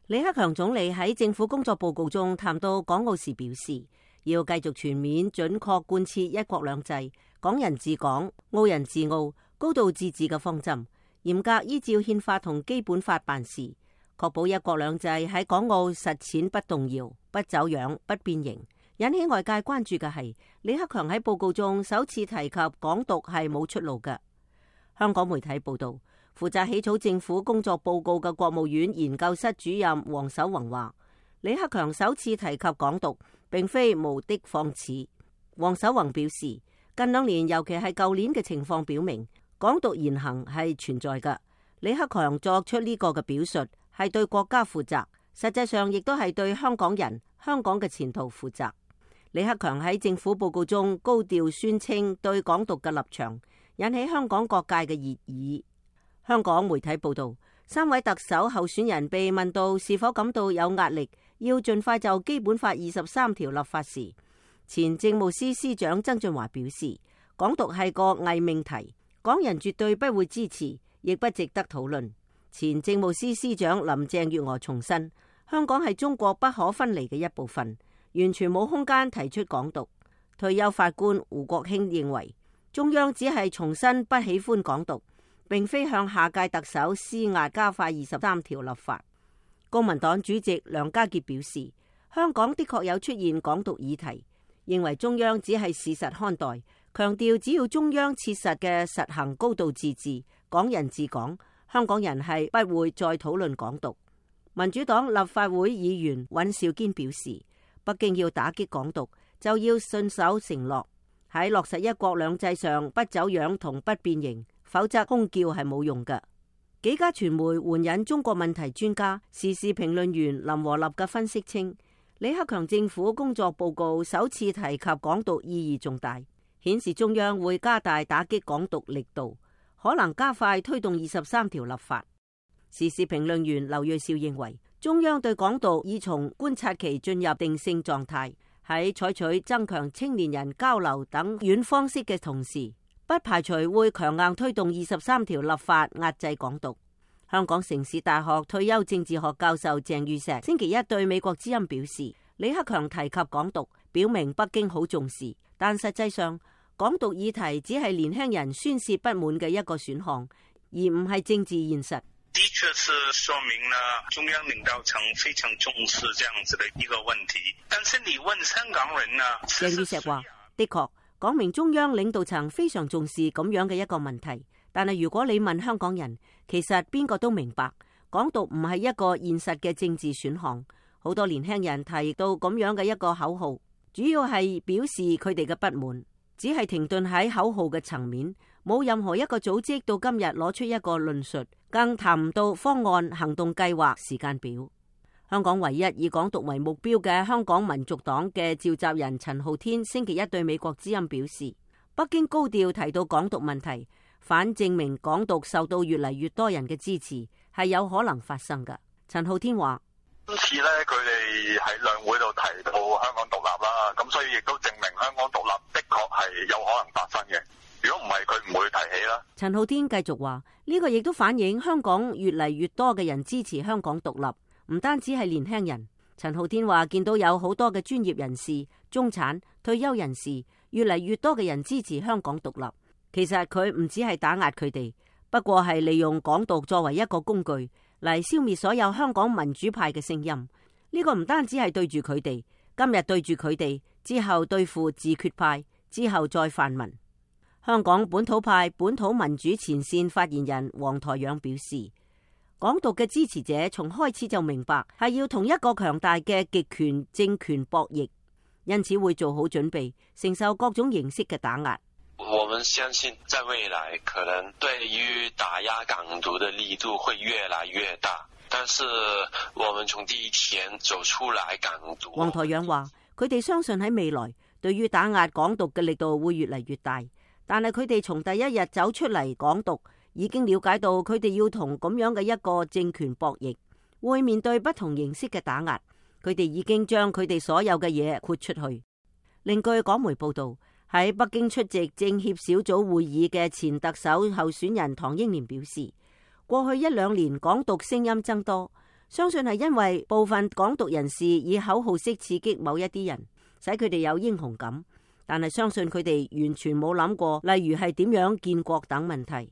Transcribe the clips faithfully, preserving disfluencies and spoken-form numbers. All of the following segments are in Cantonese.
李克強總理喺政府工作報告中談到港澳時表示，要繼續全面準確貫徹一國兩制、港人治港、澳人治澳、高度自治嘅方針，嚴格依照憲法同基本法辦事，確保一國兩制喺港澳實踐不動搖、不走樣、不變形。引起外界關注嘅係，李克強喺報告中首次提及港獨係冇出路嘅。香港媒體報道，負責起草政府工作報告嘅國務院研究室主任黃守宏話，李克強首次提及港獨並非無的放矢。黃守宏表示，近兩年尤其係舊年嘅情況表明，港獨言行係存在嘅。李克強作出呢個嘅表述係對國家負責，實際上亦都係對香港人、香港嘅前途負責。李克強喺政府報告中高調宣稱對港獨嘅立場，引起香港各界嘅熱議。香港媒體報道，三位特首候選人被問到是否感到有壓力，要盡快就基本法二十三條立法時，前政務司司長曾俊華表示，港獨係個偽命題，港人絕對不會支持，亦不值得討論。前政務司司長林鄭月娥重申，香港係中國不可分離嘅一部分，完全冇空間提出港獨。退休法官胡國興認為，中央只係重申不喜歡港獨，並非向下屆特首施壓加快二十三條立法。公民黨主席梁家傑表示，香港的確有出現港獨議題，認為中央只係事實看待，強調只要中央切實嘅實行高度自治、港人治港，香港人係不會再討論港獨。民主黨立法會議員尹兆堅表示，北京要打擊港獨，就要信守承諾，喺落實一國兩制上不走樣同不變形，否則空叫係冇用嘅。幾家傳媒援引中國問題專家、時事評論員林和立嘅分析稱，李克強政府工作報告首次提及港獨意義重大，顯示中央會加大打擊港獨力度，可能加快推動二十三條立法。時事評論員劉銳紹認為，中央對港獨已從觀察期進入定性狀態，喺採取增強青年人交流等軟方式嘅同時，不排除會強硬推動二十三條立法壓制港獨。香港城市大學退休政治學教授鄭宇碩星期一對美國之音表示，李克強提及港獨，表明北京好重視，但實際上港獨議題只係年輕人宣洩不滿嘅一個選項，而唔係政治現實。的確是說明了中央領導層非常重視這樣子的一個問題。但是你問香港人呢？鄭宇碩話，的確講明中央領導層非常重視咁樣嘅一個問題。但係如果你問香港人，其實邊個都明白，港獨唔係一個現實嘅政治選項。好多年輕人提到咁樣嘅一個口號，主要係表示佢哋嘅不滿，只係停頓喺口號嘅層面，冇任何一個組織到今日攞出一個論述，更談唔到方案、行動計劃、時間表。香港唯一以港獨為目標嘅香港民族黨嘅召集人陳浩天星期一對美國之音表示，北京高調提到港獨問題，反證明港獨受到越嚟越多人嘅支持，係有可能發生嘅。陳浩天話：今次咧，佢哋喺兩會度提到香港獨立啦，咁所以亦都證明香港獨立的確係有可能發生嘅。如果唔係，佢唔會提起啦。陳浩天繼續話：呢個亦都反映香港越嚟越多嘅人支持香港獨立，唔單止係年輕人。陳浩天話見到有好多嘅專業人士、中產、退休人士，越嚟越多嘅人支持香港獨立。其實佢唔只係打壓佢哋，不過係利用港獨作為一個工具嚟消滅所有香港民主派嘅聲音。呢個唔單止係對住佢哋，今日對住佢哋，之後對付自決派，之後再泛民。香港本土派本土民主前線發言人黃台仰表示，港獨嘅支持者從開始就明白係要同一個強大嘅極權政權博弈，因此會做好準備，承受各種形式嘅打壓。我們相信在未來可能對於打壓港獨的力度會越來越大，但是我們從第一天走出來港獨。黃台仰話，佢哋相信喺未來對於打壓港獨嘅力度會越嚟越大，但係佢哋從第一日走出嚟港獨，已經了解到佢哋要同咁樣嘅一個政權博弈，會面對不同形式嘅打壓。佢哋已經將佢哋所有嘅嘢豁出去。另據港媒報道，喺北京出席政協小組會議嘅前特首候選人唐英年表示，過去一兩年港獨聲音增多，相信係因為部分港獨人士以口號式刺激某一啲人，使佢哋有英雄感，但係相信佢哋完全冇諗過，例如係點樣建國等問題。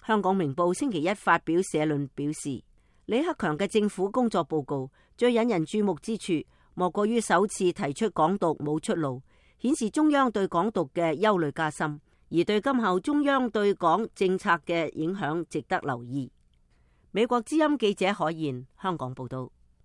香港明報星期一發表社論表示，李克強嘅政府工作報告最引人注目之處，莫過於首次提出港獨冇出路，顯示中央對港獨嘅憂慮加深，而對今後中央對港政策嘅影響值得留意。美國之音記者海燕香港報道。